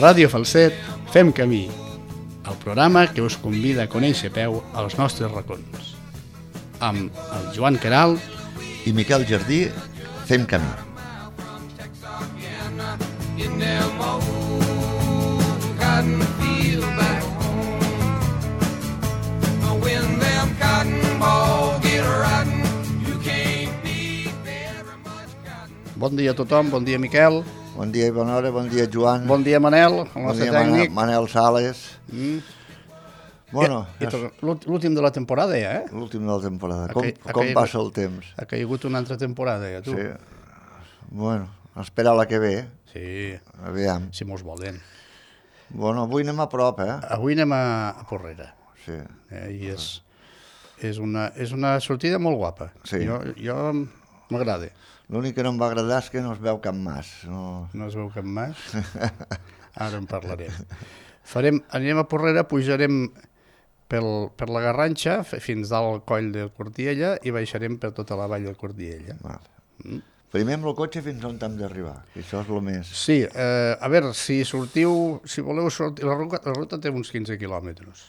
Ràdio Falset fem camí, el programa que us convida a conèixer a peu als nostres racons. Amb el Joan Queralt i Miquel Jardí fem camí. Bon dia a tothom, bon dia Miquel. Bon dia i bona hora, bon dia Joan. Bon dia Manel, el nostre tècnic. Manel Sales. Bueno, l'últim de la temporada ja, eh? L'últim de la temporada. Com passa el temps? Ha caigut una altra temporada ja, tu. Sí. Bueno, esperar la que ve. Sí. Aviam. Si mos volen. Bueno, avui anem a prop, eh? Avui anem a Porrera. Sí. I és una sortida molt guapa. Sí. Jo m'agrada. L'únic que no em va agradar és que no es veu cap mas. No es veu cap mas? Ara en parlarem. Anirem a Porrera, pujarem per la Garrantxa fins dalt al coll de Cortiella i baixarem per tota la vall de Cortiella. Primer amb el cotxe fins on hem d'arribar, que això és el més... Sí, a veure, si voleu sortir... La ruta té uns 15 quilòmetres.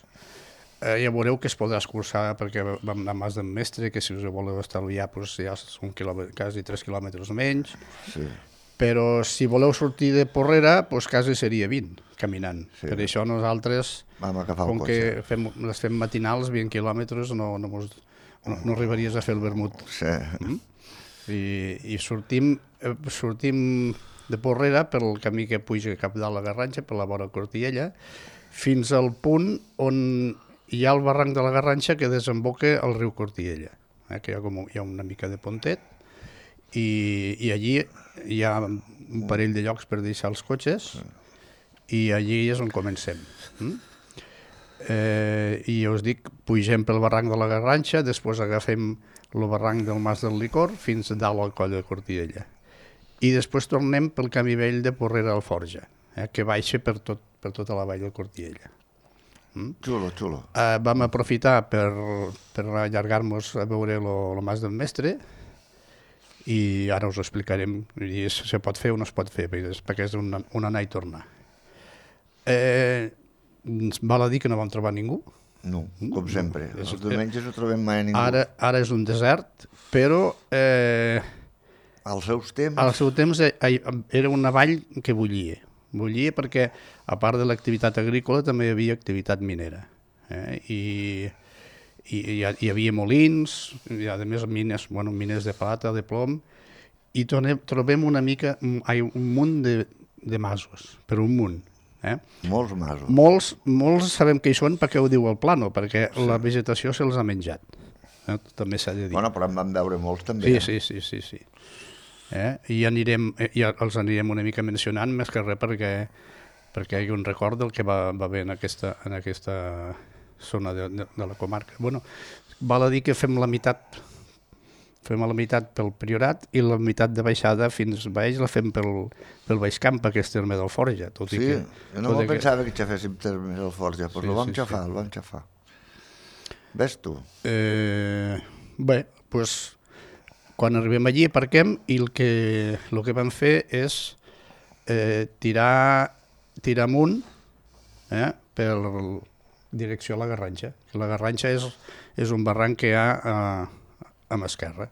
Ja veureu que es podrà escurçar perquè vam anar a Mas d'en Mestre, que si us voleu estalviar ja són quasi 3 quilòmetres menys. Sí. Però si voleu sortir de Porrera, doncs quasi seria 20, caminant. Sí. Per això nosaltres, com que les fem matinals, 20 quilòmetres, no arribaries a fer el vermut. Sí. I sortim de Porrera pel camí que puja cap dalt la Garrantxa, per la vora Cortiella, fins al punt on hi ha el barranc de la Garrantxa que desemboca al riu Cortiella, que hi ha una mica de pontet, i allí hi ha un parell de llocs per deixar els cotxes, i allí és on comencem. I us dic, pugem pel barranc de la Garrantxa, després agafem el barranc del Mas del Licor fins dalt al coll de Cortiella. I després tornem pel camí vell de Porrera al Forja, que baixa per tota la vall de Cortiella. Xulo, xulo. Vam aprofitar per allargar-nos a veure el Mas del Mestre i ara us ho explicarem si se pot fer o no es pot fer, perquè és un anar i tornar. Val a dir que no vam trobar ningú? No, com sempre. Els diumenges no trobem mai ningú. Ara és un desert, però... Als seus temps... Al seu temps era una vall que bullia. Bullia perquè, a part de l'activitat agrícola, també hi havia activitat minera. I hi havia molins, i a més mines de plata, de plom, i trobem un munt de masos, per un munt. Molts masos. Molts sabem que hi són perquè ho diu el plano, perquè la vegetació se'ls ha menjat. També s'ha de dir. Bueno, però en vam veure molts també. Sí. I els anirem una mica mencionant, més que res perquè hi ha un record del que va haver en aquesta zona de la comarca. Val a dir que fem la meitat pel Priorat i la meitat de baixada fins baix la fem pel Baixcamp, aquest terme del Forja. Sí, jo no pensava que xaféssim termes del Forja, però el vam xafar. Ves tu? Bé, doncs... Quan arribem allí aparquem i el que vam fer és tirar amunt per direcció a la Garrantxa. La Garrantxa és un barranc que hi ha a mà esquerra.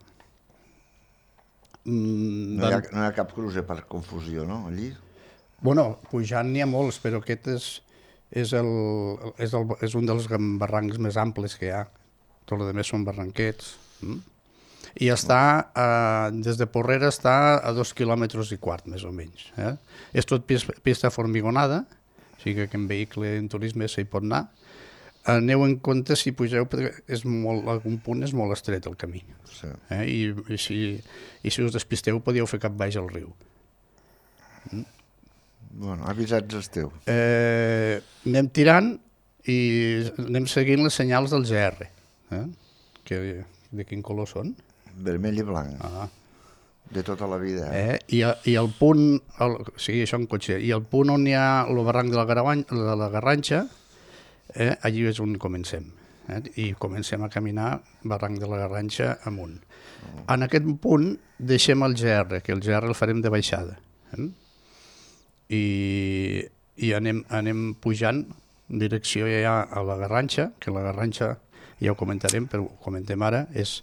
No hi ha cap cruce per confusió, no, allí? Pujant n'hi ha molts, però aquest és un dels barrancs més amples que hi ha. Tot el rest són barranquets. I des de Porrera està a 2,25 quilòmetres, més o menys. És tot pista formigonada, o sigui que en vehicle en turisme s'hi pot anar. Aneu en compte si pugeu, perquè algun punt és molt estret el camí. I si us despisteu podíeu fer cap baix al riu. Avisats esteu. Anem tirant i anem seguint les senyals del GR. De quin color són? Vermell i blanc. De tota la vida. I el punt, això en cotxe, i el punt on hi ha el barranc de la Garrantxa, allí és on comencem. I comencem a caminar barranc de la Garrantxa amunt. En aquest punt deixem el GR, que el GR el farem de baixada. I i anem pujant en direcció ja a la Garrantxa, que la Garrantxa, ja ho comentarem, però ho comentem ara, és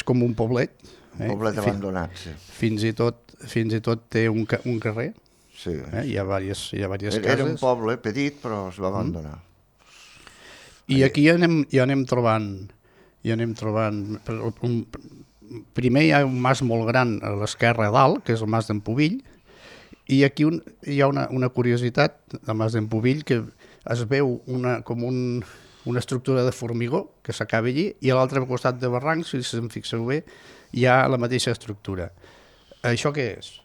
com un poblet. Un poblet abandonat, sí. Fins i tot té un carrer, sí. Hi ha diverses cases. Era un poble petit, però es va abandonar. I aquí ja anem trobant... Primer hi ha un mas molt gran a l'esquerra a dalt, que és el mas d'en Pubill, i aquí hi ha una curiositat del mas d'en Pubill, que es veu com una estructura de formigó que s'acaba allí, i a l'altre costat de barranc, si se'n fixeu bé, hi ha la mateixa estructura. Això què és?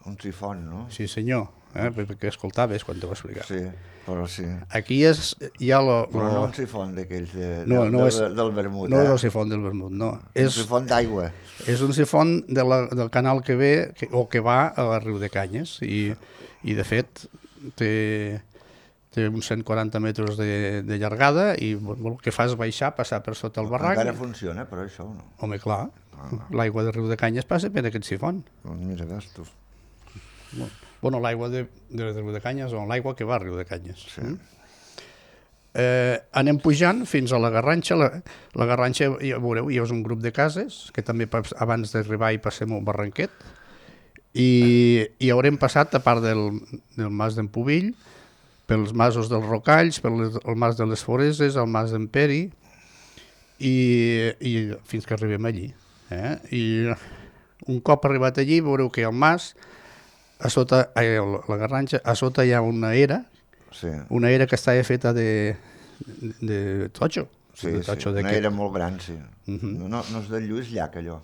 Un sifon, no? Sí, senyor, perquè escoltaves quan t'ho va explicar. Sí, però sí. Aquí hi ha però no un sifon d'aquells del vermut. No és el sifon del vermut, no. És un sifon d'aigua. És un sifon del canal que ve o que va a Riu de Canyes i de fet té uns 140 metres de llargada i el que fa és baixar, passar per sota el barranc. Encara funciona, però això no. Home, clar, l'aigua de Riu de Canyes passa per aquest sifon. Mira, veus tu. Bueno, l'aigua de Riu de Canyes o l'aigua que va a Riu de Canyes. Sí. Anem pujant fins a la Garrantxa. La Garrantxa, ja veureu, hi ha un grup de cases que també abans d'arribar hi passem un barranquet i haurem passat, a part del mas d'en Pubill, pels masos dels Rocalls, pel mas de les Foreses, el mas d'en Peri i fins que arribem allí. I un cop arribat allí veureu que el mas, la Garrantxa, a sota hi ha una era, sí. Una era que estava feta de totxo. Sí, una era molt gran, sí. No és de Lluís Llach, allò.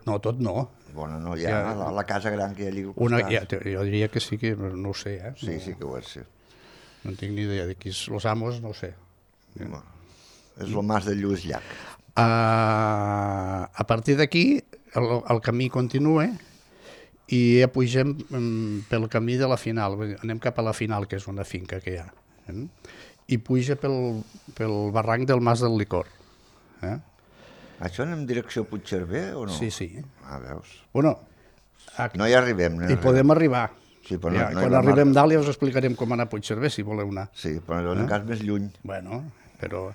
No, tot no. Bueno, no, hi ha la casa gran que hi ha allà al costat. Jo diria que sí, que no ho sé. Sí, sí que ho és, sí. No tinc ni idea de qui és los amos, no ho sé. Bueno, és el mas de Lluís Llach. A partir d'aquí el camí continua i ja pugem pel camí de la final. Anem cap a la final, que és una finca que hi ha. I puja pel barranc del mas del Licor. Això anem en direcció a Puigcerver o no? Sí, sí. Veus. Bueno, no hi arribem. Hi podem arribar. Sí, però quan arribem dalt ja us explicarem com anar a Puigcerver, si voleu anar. Sí, però en cas més lluny. Bueno, però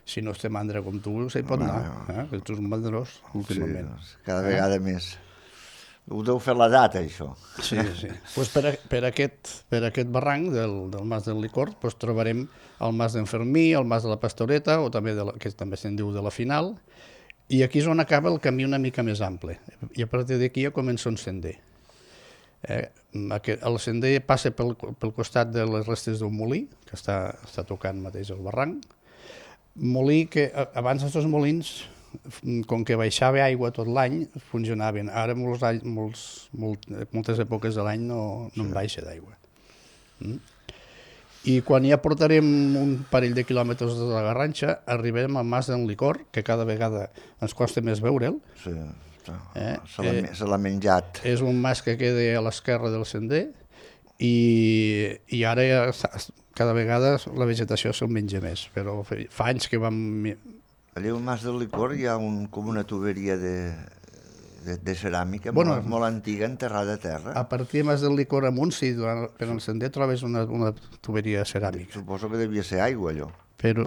si no estem mandra com tu, s'hi pot anar. Que tu ets un mandrós, últimament. Sí, cada vegada més. Ho deu fer l'edat, això. Sí, sí. Pues per aquest barranc del mas del Licor trobarem el mas d'en Fermí, el mas de la Pastoreta, o també que també se'n diu de la Final, i aquí és on acaba el camí una mica més ample. I a partir d'aquí ja comença un sender. El sender passa pel costat de les restes d'un molí, que està tocant mateix el barranc. Molí que abans els molins, com que baixava aigua tot l'any, funcionaven. Ara moltes èpoques de l'any no en baixa d'aigua. I quan ja portarem un parell de quilòmetres de la Garrantxa, arribem al mas d'en Licor, que cada vegada ens costa més veure'l. Sí, se l'ha menjat. És un mas que queda a l'esquerra del sender i ara cada vegada la vegetació se'n menja més, però fa anys que vam... Allà al mas del Licor hi ha com una tuberia de ceràmica molt antiga, enterrada a terra. A partir del mas del Licor amunt, sí, per el sender trobes una tuberia ceràmica. Suposo que devia ser aigua, allò,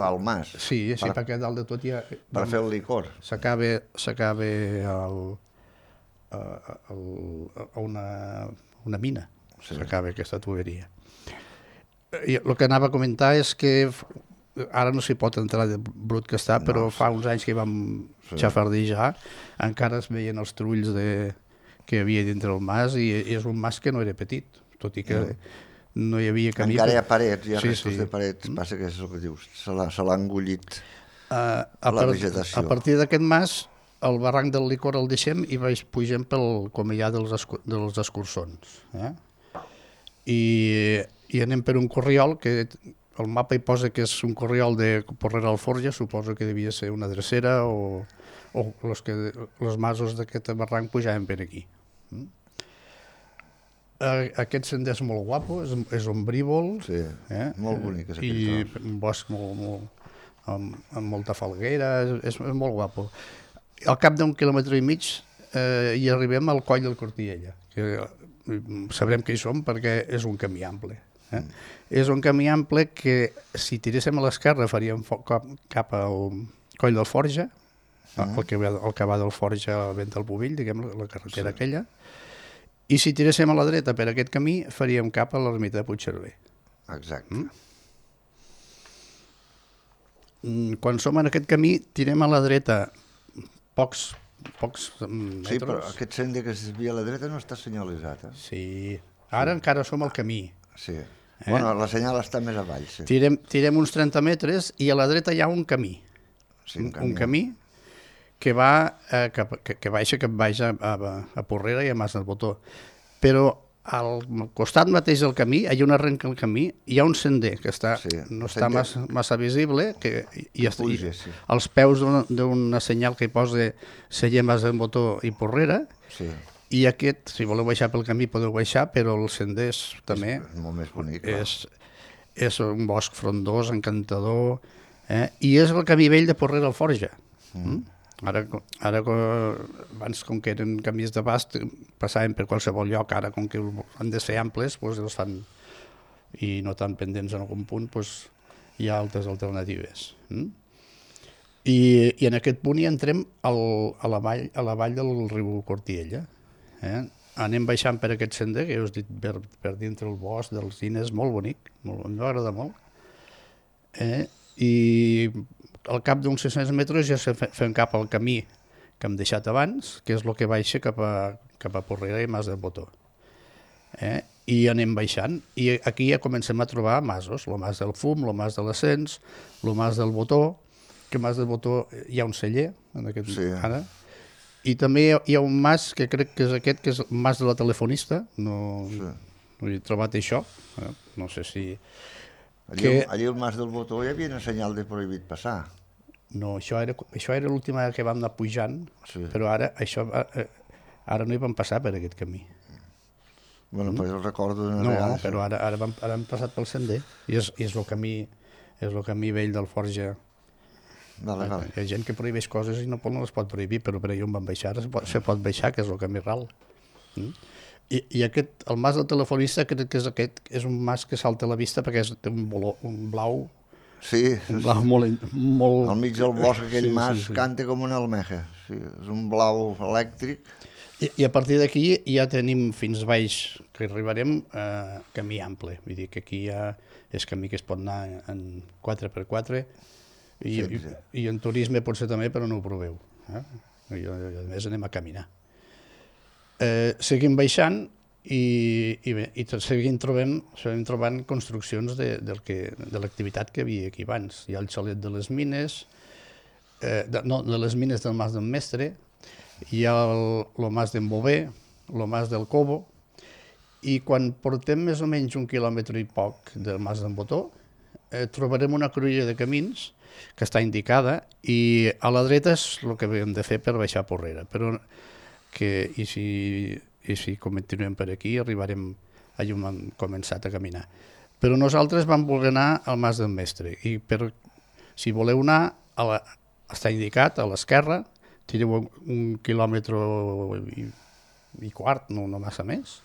al mas. Sí, perquè dalt de tot hi ha... Per fer el licor. S'acaba a una mina, s'acaba aquesta tuberia. El que anava a comentar és que ara no s'hi pot entrar de brut que està, però fa uns anys que vam xafardejar, encara es veien els trulls que hi havia dintre el mas i és un mas que no era petit, tot i que no hi havia camí. Encara hi ha parets, hi ha restos de parets, passa que és el que dius, se l'ha engullit la vegetació. A partir d'aquest mas, el barranc del Licor el deixem i pugem pel comellà dels escurçons. I anem per un corriol que el mapa hi posa que és un corriol de Porrera Alforja, suposo que devia ser una drecera o els masos d'aquest barranc pujaven per aquí. Aquest sender és molt guapo, és ombrívol. Sí, molt bonic és aquest tros. I un bosc amb molta falguera, és molt guapo. Al cap d'un quilòmetre i mig hi arribem al coll del Cortiella, que sabrem que hi som perquè és un camí ample. És un camí ample que si tiréssim a l'esquerra faríem cap al Coll del Forja, el que va del Forja al Vent del Bovill, diguem, la carretera aquella, i si tiréssim a la dreta per aquest camí faríem cap a l'ermita de Puigcerver. Exacte. Quan som en aquest camí tirem a la dreta pocs metres. Sí, però aquest sender que es desvia a la dreta no està senyalitzat. Sí, ara encara som al camí. Sí. Bueno, la senyal està més avall. Sí. Tirem uns 30 metres i a la dreta hi ha un camí. Sí, un camí que va que baixa a Porrera i a Mas del Botó. Però al costat mateix del camí, allà on arrenca el camí, hi ha un sender que no està massa visible, i als peus d'una senyal que hi posa Celler, Mas del Botó i Porrera, i aquest, si voleu baixar pel camí podeu baixar, però el sender també és molt més bonic. És un bosc frondós, encantador, i és el camí vell de Porrera al Forja. Ara, abans, com que eren camins d'abast, passaven per qualsevol lloc, ara, com que han de ser amples, doncs els fan, i no tan pendents en algun punt, doncs hi ha altres alternatives. I en aquest punt hi entrem a la vall del riu Cortiella. Anem baixant per aquest sender, que us he dit, per dintre el bosc dels Cines, molt bonic, m'agrada molt. I al cap d'uns 600 metres ja fem cap al camí que hem deixat abans, que és el que baixa cap a Porrera i Mas del Botó. I anem baixant, i aquí ja comencem a trobar masos, el Mas del Fum, el Mas de l'Ascens, el Mas del Botó, que Mas del Botó hi ha un celler, ara, i també hi ha un mas que crec que és aquest, que és el Mas de la Telefonista, no he trobat això, no sé si... Allí al Mas del Botó hi havia una senyal de prohibit passar. No, això era l'última que vam anar pujant, però ara no hi vam passar per aquest camí. Bueno, pues el recordo d'una vegada. No, però ara hem passat pel sender, i és el camí vell del Forja. Vale. Hi ha gent que prohibeix coses i no les pot prohibir, però per allà on van baixar se pot baixar, que és el camí ral. I el mas del Telefonista crec que és un mas que salta a la vista perquè té un blau, un blau molt... Al mig del bosc aquell mas canta com una almeja, és un blau elèctric. I a partir d'aquí ja tenim fins baix, que arribarem camí ample, vull dir que aquí ja és camí que es pot anar en 4x4 i en turisme potser també, però no ho proveu. I a més anem a caminar. Seguim baixant i seguim trobant construccions de l'activitat que hi havia aquí abans. Hi ha el xalet de les mines, de les mines del Mas del Mestre, hi ha el Mas d'en Bové, el Mas del Cobo, i quan portem més o menys 1 quilòmetre i poc del Mas d'en Botó, trobarem una cruïlla de camins que està indicada, i a la dreta és el que hem de fer per baixar a Porrera, però i si continuem per aquí arribarem allà on hem començat a caminar. Però nosaltres vam voler anar al Mas del Mestre, i si voleu anar, està indicat a l'esquerra, tireu 1 quilòmetre i quart, no massa més,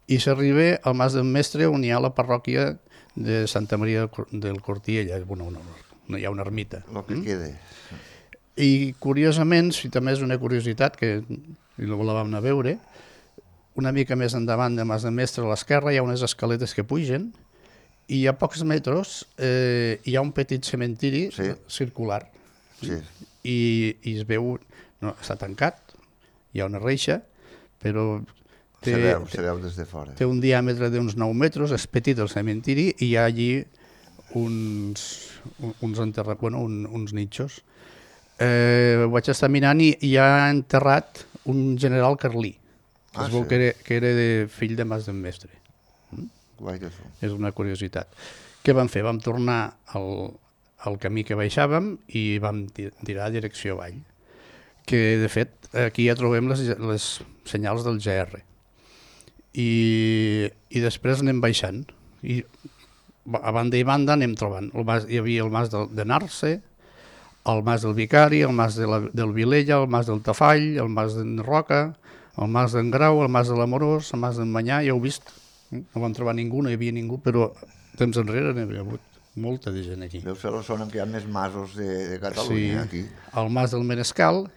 i s'arriba al Mas del Mestre, on hi ha la parròquia de Santa Maria del Cortiella, hi ha una ermita. El que queda. I curiosament, si també és una curiositat que la vam anar a veure, una mica més endavant de Mas del Mestre a l'esquerra hi ha unes escaletes que pugen, i a pocs metres hi ha un petit cementiri circular. I es veu, està tancat, hi ha una reixa, però se veu des de fora. Té un diàmetre d'uns 9 metres, és petit el cementiri, i hi ha allí uns nitxos. Vaig estar mirant i hi ha enterrat un general carlí, que es veu que era fill de Mas del Mestre. És una curiositat. Què vam fer? Vam tornar al camí que baixàvem i vam tirar a direcció avall, que de fet aquí ja trobem les senyals del GR. I després anem baixant, i a banda i banda anem trobant. Hi havia el Mas de Narce, el Mas del Vicari, el Mas del Vilella, el Mas del Tafall, el Mas d'en Roca, el Mas d'en Grau, el Mas de l'Amorós, el Mas d'en Manyà, ja heu vist. No vam trobar ningú, no hi havia ningú, però temps enrere n'hi havia hagut molta de gent aquí. Deu ser la zona en què hi ha més masos de Catalunya, aquí. El Mas del Menescal,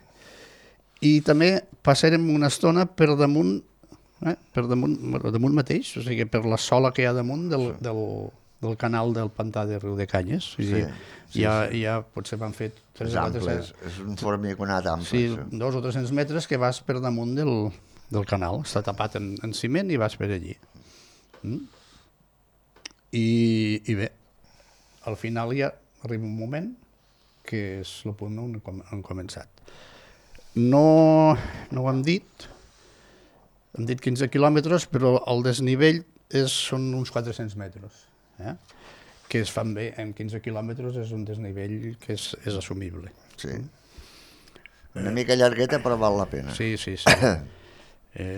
i també passarem una estona per damunt mateix, o sigui, per la sola que hi ha damunt del canal del pantà de Riu de Canyes. Ja potser van fer 3 o 4... És un formiconat ample. Sí, 200 o 300 metres que vas per damunt del canal. Està tapat en ciment i vas per allí. I bé, al final ja arriba un moment que és el punt on hem començat. No ho hem dit 15 quilòmetres, però el desnivell són uns 400 metres, que es fan bé. En 15 quilòmetres és un desnivell que és assumible. Sí. Una mica llargueta, però val la pena. Sí.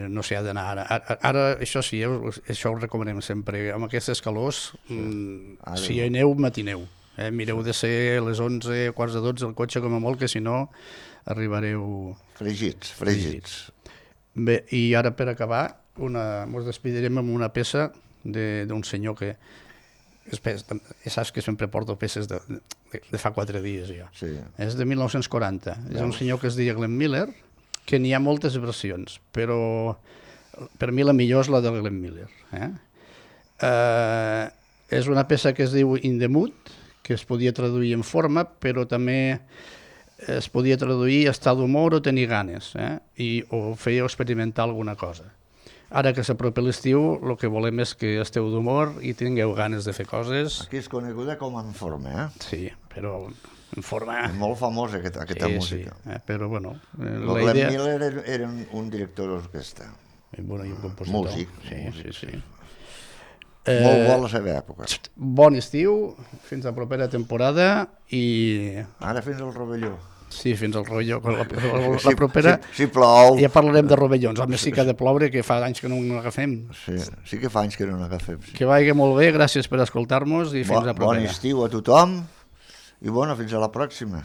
No s'hi ha d'anar ara, això sí, això ho recomanem sempre, amb aquestes calors, si hi ha neu, matineu, mireu de ser a les 11, quarts de 12 el cotxe com a molt, que si no arribareu fregits. Bé, i ara per acabar ens despedirem amb una peça d'un senyor que ja saps que sempre porto peces de fa 4 dies ja. És de 1940, és un senyor que es deia Glenn Miller, que n'hi ha moltes versions, però per mi la millor és la de Glenn Miller. És una peça que es diu In the Mood, que es podia traduir en forma, però també es podia traduir estar d'humor o tenir ganes, o fer o experimentar alguna cosa. Ara que s'apropa l'estiu, el que volem és que esteu d'humor i tingueu ganes de fer coses. Aquí és coneguda com En Forma, Sí, però en forma... És molt famosa aquesta música. Però bueno... Glenn Miller era un director d'orquestra. I un compositor. Músic. Sí. Molt bo a la seva època. Bon estiu, fins a la propera temporada i... Ara fins al Rovelló. Sí, fins al Rovelló. La propera... Si plou... Ja parlarem de rovellons. Home, sí que ha de ploure, que fa anys que no n'agafem. Sí que fa anys que no n'agafem. Que vagi molt bé, gràcies per escoltar-nos i fins a la propera. Bon estiu a tothom i fins a la pròxima.